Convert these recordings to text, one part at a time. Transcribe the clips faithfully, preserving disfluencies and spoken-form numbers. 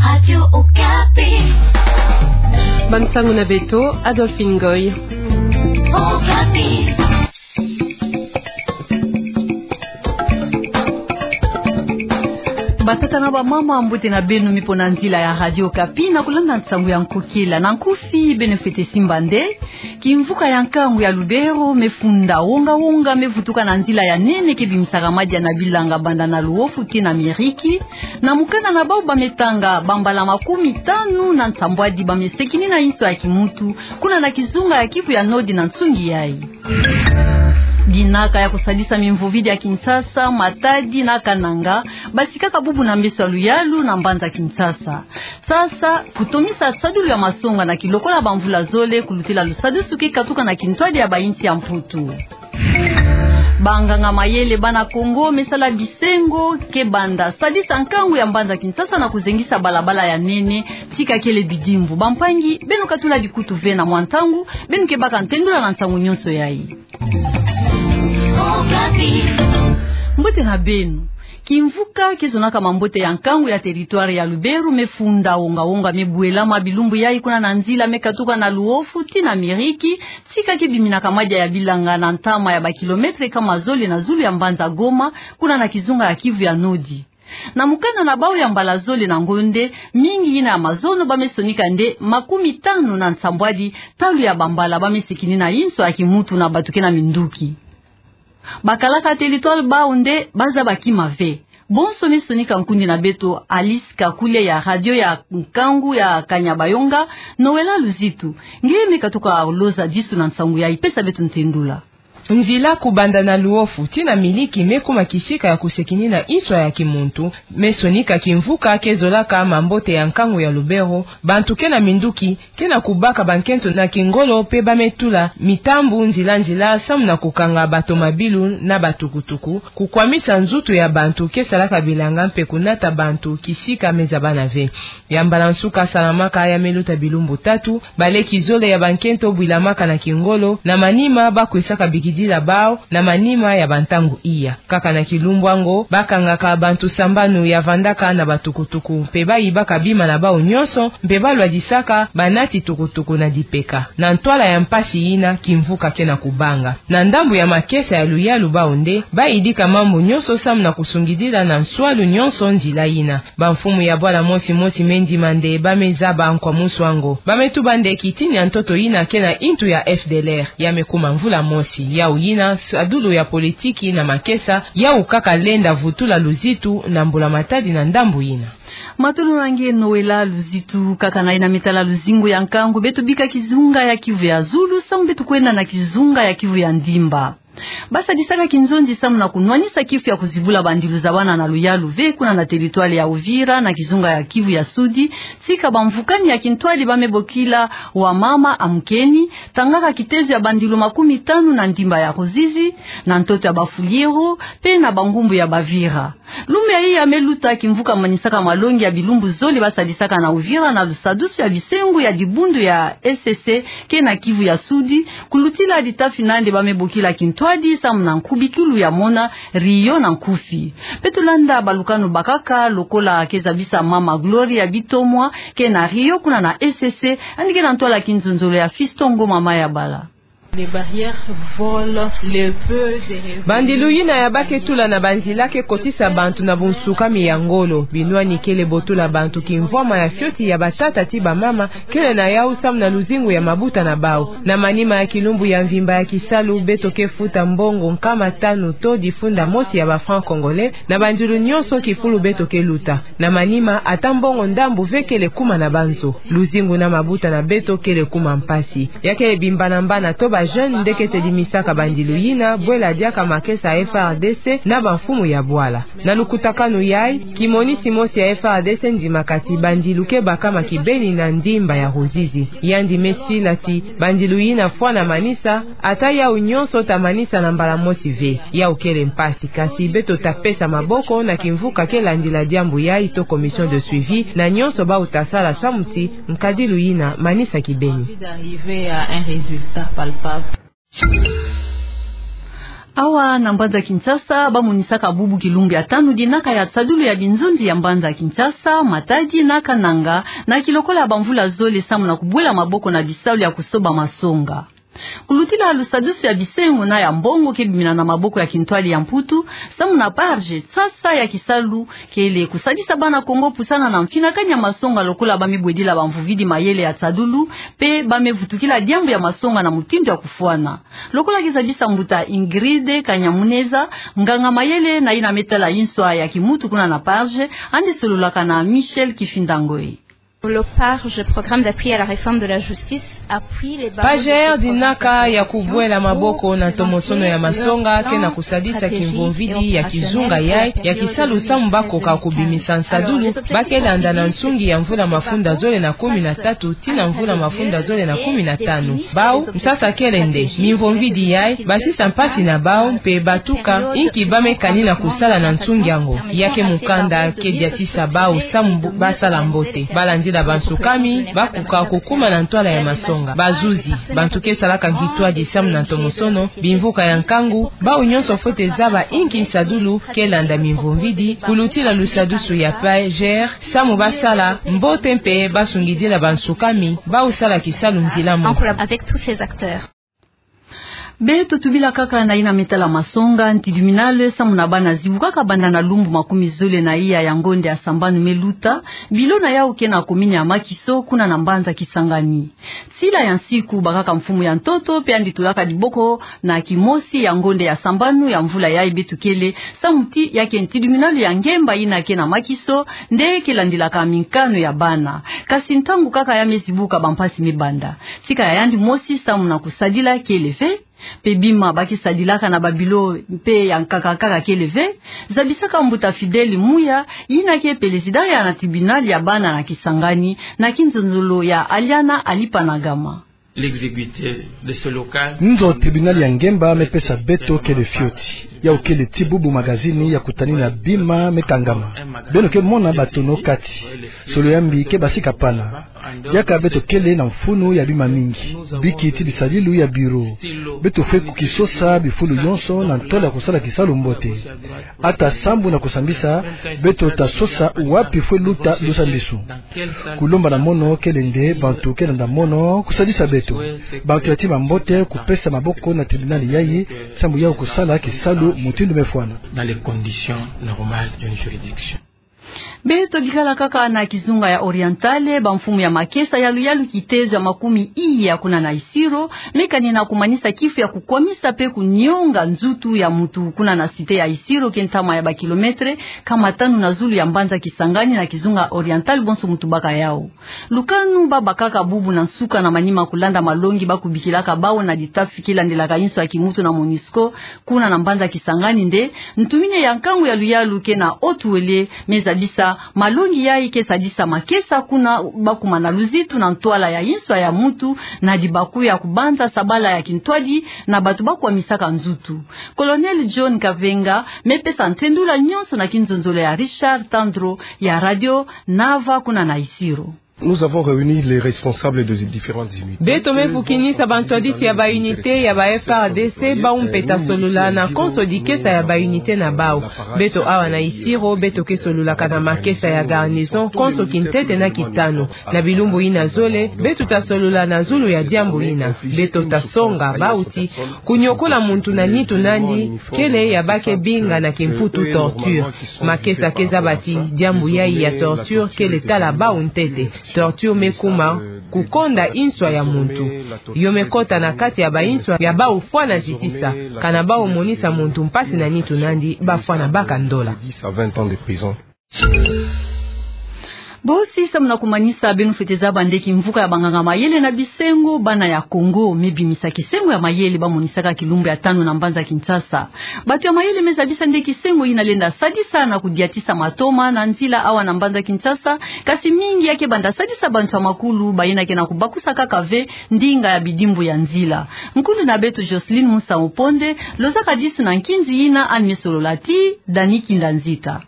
Radio Okapi. Bansangu na beto, Adolphine Ngoy. Okapi. Batata na bamama, mbote na beno mipo na nzila ya Radio Okapi na kulanda nsangu ya nkokila. Na nkufi, beno fwete simba nde kimvuka ya nkangu ya Lubero me funda wonga-wonga, me vutuka na nzila ya nene ke bimisaka madia na bilanga banda na Luofu tii na Miriki. Na mokana na bau ba me tanga, bambala makumi tanu na nsambwadi ba me sekini na inso ya kimuntu, kuna na kizunga ya Kivu ya Nord na nsungi yai. Dinaka ya kusadisa mimvovidi ya Kinshasa, Matadi na Kananga, basikaka bubu na mbeso ya luyalu na mbanza Kinshasa. Sasa, kutomisa sadulu ya masonga na kilokola bamvula zole, kulutila lusadusu ke katuka na kintwadi ya bainsi ya Mputu. Banganga mayele bana Kongo me sala bisengo ke banda sadisa nkangu ya mbanza Kinshasa na kuzengisa balabala ya nene, tika kele bidimbu. Bampangi, beno katula dikutu ve na mwa ntangu, beno ke baka ntendula na nsangu nyonso yai. Mbote na beno. Kimvuka ke zonaka mambote ya nkangu ya territoire ya Lubero me funda wonga-wonga, me bwelama bilumbu yai kuna na nzila me katuka na Luofu tii na Miriki, tika ke biminaka madia ya bilanga na ntama ya bakilometre kama zole na zulu ya mbanza Goma, kuna na kizunga ya Kivu ya Nord. Na mokana na bau, ya mbala zole na ngonde, mingi yina ya mazono ba me sonika nde makumi tanu na nsambwadi talu ya bambala ba me sekini na inso ya kimuntu na bato ke na minduki. Bakalaka territoire bau nde ba zaba kima ve. Bonso me sonika nkundi na beto Alice Kakule ya radio ya nkangu ya Kanyabayonga, Noëlla Luzitu. Nge me katuka loza disu na nsangu yai, pesa beto ntendula. Nzila kubanda na Luofu tii na Miriki me kuma kisika ya kusekini na inso ya kimuntu, me sonika kimvuka ke zolaka mambote ya nkangu ya Lubero, bantu ke na minduki ke na kubaka bankento na kingolo mpe ba me tula mitambu nzila-nzila samu na kukanga batomabilu na batukutuku, kukwamisa nzutu ya bantu ke salaka bilanga mpe kunata bantu kisika me zabana ve. Ya mbala nsuka salamaka ya me luta bilumbu tatu, baleki zole ya bankento bwilamaka na kingolo, na manima ba kwisaka bikidila bau, na manima ya bantangu iya. Kaka na kilumbu yango, ba kangaka bantu sambanu ya vandaka na batukutuku, mpe ba yibaka bima na bau nyonso, mpe ba lwadisaka banati tukutuku na dipeka. Na ntwala ya mpasi yina, kimvuka ke na kubanga. Na ndambu ya makesa ya luyalu bau nde, ba yidika mambu nyonso samu na kusungidila na nswalu nyonso nzila yina. Bamfumu ya bwala mosi-mosi me ndima nde ba me zaba nkwamusu yango. Ba me tuba nde kitini ya ntoto yina ke na intu ya F D L R, ya me kuma mvula mosi. Yau yina sadulu ya politiki na makesa, yau kaka lenda vutula luzitu na mbula-matadi na ndambu yina. Matondo na nge Noëlla Luzitu. Kaka na yina me tala luzingu ya nkangu, beto bika kizunga ya Kivu ya Zulu, samu beto kwenda na kizunga ya Kivu ya Ndimba. Ba sadisaka kinzonzi samu na kunwanisa kifu ya kuzibula bandilu zabana na luyalu ve kuna na territoire ya Uvira na kizunga ya Kivu ya Sudi, tika bamvukani ya kintwadi ba me bokila Wamama Amkeni, tangaka kitezo ya bandilu makumi tanu na ndimba ya Ruzizi, na ntoto ya Bafuliru, mpe na bangumbu ya Bavira. Lumbu yayi ya me luta, kimvuka manisaka malongi ya bilumbu zole ba sadisaka na Uvira na lusadusu ya bisengo ya dibundu ya E C C ke na Kivu ya Sudi, kulutila dita fina nde ba me bokila kintwadi samu na nkubikilu ya mona Rio na nkufi. Mpe tulanda balukanu bakaka, lokola ke zabisa mama Gloria Bitomwa, ke na Rio kuna na E C C, yandi ke na ntwala kinzonzolo ya Fiston Ngoma Mayabala. Les barrières volent le peu des revenus. Bandilu yina ya ba ke tula na banzila ke kotisa bantu na bunsukami ya ngolo. Binwani kele botola bantu kimvwama ya fioti ya batata ti bamama, kele na yau samu na luzingu ya mabuta na bau. Na manima ya kilumbu ya mvimba ya kisalu, beto ke futa mbongo nkama tanu to difunda mosi ya ba francs congolais, na bandilu nyonso kifulu beto ke luta. Na manima, ata mbongo ndambu ve kele kuma na banzo. Luzingu na mabuta na beto kele kuma mpasi. Ya kele bimbana-mbana to ba jeunes nde ke tedimisaka bandilu yina, bwela diaka makesa ya F A R D C na bamfumu ya bwala. Na lukutakanu yayi, kimonisi mosi ya F A R D C ndimaka ti bandilu ke bakama kibeni na ndimba ya Ruzizi. Yandi me sila ti bandilu yina fwana manisa, ata yau nyonso ta manisa na mbala mosi ve. Yau kele mpasi, kasi beto ta pesa maboko na kimvuka ke landila diambu yayi to commission de suivi, na nyonso bau ta sala samu ti nkadilu yina manisa kibeni. Envie d'arriver à un résultat palpable. Awa na mbanza Kinshasa, bamonisaka bubu kilumbu ya tanu dinaka ya nsadulu ya binzonzi ya mbanza Kinshasa, Matadi na Kananga, na kilokola ya bamvula zole samu na kubwela maboko na bisalu ya kusoba masonga. Kulutila lusadusu ya bisengo na ya mbongo ke bimina na maboko ya kintwadi ya Mputu, samu na P A R G, nsasa ya kisalu kele kusadisa bana Kongo pusana na mfinakani ya masonga lokola ba me bwedila bamvuvidi mayele ya nsadulu, mpe ba me vutukila diambu ya masonga na mutindu ya kufwana. Lokola ke zabisa mbuta Ingrid Kanyamuneza, nganga mayele na yina me tala inswa ya kimutu kuna na P A R G, yandi sololaka na Michel Kifinda Ngoi. Le P A R G, Programme d'appui à la réforme de la justice, appuie les barreaux de P A R G dinaka ya kubwela maboko na ntomosono ya masonga ke na kusadisa kimvovidi ya kizunga yai ya kisalu samu bakoka kubimisa nsadulu ba ke landa na nsungi ya mvula mafunda zole na kumi na tatu tii na mvula mafunda zole na kumi na tanu. Bau, nsasa kele nde, mimvovidi yai, basisa mpasi na bau, mpe batuka inki ba me kani na kusala na nsungi yango. Ya ke mukanda ke diatisa bau samu ba sala mbote. Ba landila bansukami, bakoka kukuma na ntwala ya masonga. Bazuzi, bantu ke salaka kintwadi samu na ntomosono, bimvuka ya nkangu, bau nyonso fwete zaba inki nsadulu ke landa mimvovidi, kulutila lusadusu ya P A G, samu ba sala mbote mpe ba sungidila bansukami bau sala kisalu nzila mosi. Avec tous ces acteurs. Beto tubila kaka na yina me tala masonga, ntiduminale samu na bana zibukaka banda na lumbu makumi zole na iya ya ngonde ya sambanu me luta, bilo na yau ke na komini ya Makiso, kuna na mbanza Kisangani. Nsila ya nsiku bakaka mfumu ya ntoto, mpe yandi tulaka diboko na kimosi ya ngonde ya sambanu ya mvula yai beto kele, samu ti ya ke ntiduminale ya ngemba yina ke na Makiso, nde ke landilaka minkanu ya bana. Kasi ntangu kaka ya me zibuka bampasi me banda. Sika ya yandi mosi samu na kusadila kele ve, mpe bima ba ke sadilaka na babilo mpe ya nkaka kaka kele ve, zabisaka mbuta Fidèle Muya, yina ke pelezida ya na tribunal ya bana na Kisangani, na kinzonzolo ya Aliana Alipanagama. L'exiguïté de ce local. Nzo tribunal ya ngemba me pesa beto kele fioti. Yau kele ti bubu magazini ya kutanina bima me kangama. Beno ke mona batono kati. Solo ya mbi ke basika pana. Diaka beto kele na mfunu ya bima mingi. Biki ti bisadilu ya bureau. Beto fwe kukisosa bifulu yonso na ntwala ya kusala kisalu mbote. Ata sambu na kusambisa, beto ta sosa wapi fwe luta lusambisu. Kulomba na mono kele nde bantu ke landa mono kusadisa beto. Bantu ya tima mbote kupesa maboko na tribunal yai, sambu yau kusala kisalu mutindu me fwana. Dans les conditions normales d'une juridiction. Beto bikala kaka na kizunga ya Orientale, bamfumu ya makesa ya luyalu kitezo ya makumi iya kuna na Isiro, me kani na kumanisa kifu ya kukwamisa mpe kunyonga nzutu ya mutu kuna na cité ya Isiro, ke ntama ya bakilometre kama tanu na zulu ya mbanza Kisangani na kizunga Orientale bonso mutu baka yau. Lukanu ba bakaka bubu na nsuka na manima kulanda malongi ba kubikilaka bau na ditafi ke landilaka inso ya kimutu na MONUSCO, kuna na mbanza Kisangani nde, ntumini ya nkangu ya luyalu ke na Haut-Uele me zabisa malongi yai ke sadisa makesa kuna ba kuma na luzitu na ntwala ya inso ya mutu na dibaku ya kubanza sabala ya kintwadi na bantu ba kwamisaka nzutu. Colonel John Kavenga me pesa ntendula nyonso na kinzonzolo ya Richard Tandro ya Radio Nava kuna na Isiro. Nous avons réuni les responsables des différentes unités. Beto me vukinisa bantwadisi ya ba unité ya ba F A R D C, bau mpe ta solola na konso dikesa ya ba unité na bau. Beto awa na Isiro, beto ke sololaka na makesa ya garnison konso kintete na kitanu. Na bilumbu yina zole, beto ta solola na zulu ya diambu yina. Beto ta songa bau ti kunyokola muntu na nitu nandi kele ya ba ke binga na kimputu torture. Makesa ke zaba ti diambu yai ya torture kele tala bau ntete. Torture me kuma kukonda inswa ya muntu. Yo me kota na kati ya ba inswa ya bau fwana zitisa. Kana bau monisa muntu mpasi na nitu nandi, ba fwana baka ndola. dix à vingt ans de prison. Bosi, samu na kumanisa, beno fwete zaba nde kimvuka ya banganga mayele na bisengo Bana ya Kongo me bimisa kisengo ya mayele ba monisaka kilumbu ya tanu na mbanza Kinshasa. Bantu ya mayele me zabisa nde kisengo yina lenda sadisa na kudiatisa matoma na nzila awa na mbanza Kinshasa, kasi mingi ya ke banda sadisa bantu ya makulu, bayina ke na kubakusa kaka ve ndinga ya bidimbu ya nzila. Nkulu na beto Jocelyne Musa Oponde lozaka disu na nkinzi yina, yandi me solola ti Dani Kinda Nzita.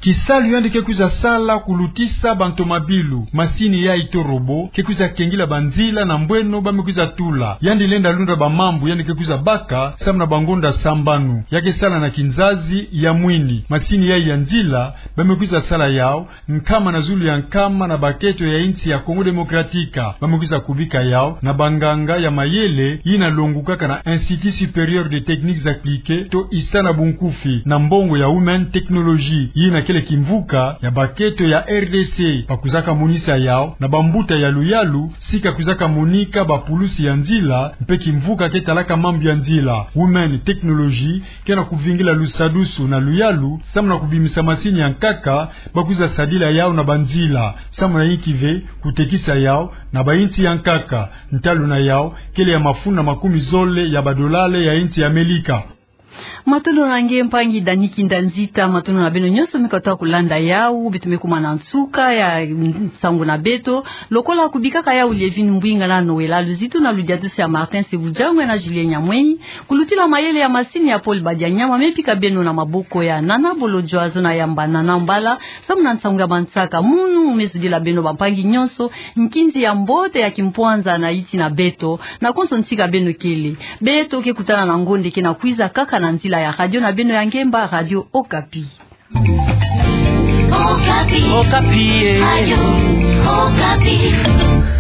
Kisalu yandi ke kwiza sala kulutisa bantomabilu, masini yayi to robot, ke kwiza kengila banzila na mbweno ba me kwiza tula. Yandi lenda lunda bamambu yandi ke kwiza baka, samu na bangonda sambanu. Ya ke sala na kinzazi ya mwini. Masini yayi ya nzila, ba me kwiza sala yau, nkama na zulu ya nkama na baketo ya insi ya Congo Démocratique. Ba me kwiza kubika yau na banganga ya mayele, yina longukaka na Institut Supérieur de Techniques Appliquées, to ISTA na bunkufi, na mbongo ya Women Technology, yina kele kimvuka ya baketo ya R D C. Ba kwizaka monisa yau na bambuta ya luyalu, sika kwizaka monika bapulusi ya nzila, mpe kimvuka ke talaka mambu ya nzila. Women Technology ke na kuvingila lusadusu na luyalu, samu na kubimisa masini ya nkaka, ba kwiza sadila yau na banzila, samu na inki ve, kutekisa yau na bainsi ya nkaka. Ntalu na yau kele ya mafunda makumi zole ya badolale ya insi ya Amelika. Matondo na nge mpangi Dani Kinda Nzita, matondo na beno nyonso me kota kulanda yau, beto me kuma na nsuka ya nsangu na beto, lokola kubikaka yau Lievine Mbwinga na Noëlla Luzitu na ludiadusu ya Martin Sebujangwe na Julien Nyamwenyi, kulutila mayele ya masini ya Paul Badianyama, me pika beno na maboko ya Nana Bolodjwa, zo na yamba Nana Mbala, samu na nsangu ya bansaka. Munu me zudila beno bampangi nyonso nkinzi ya mbote ya kimpwanza na iti na beto, na konso ntika beno kele. Beto ke kutana na ngonde ke na kwiza kaka na nzila ya radio na beno ya ngemba, Radio Okapi. Okapi. Okapi, eh. Radio Okapi.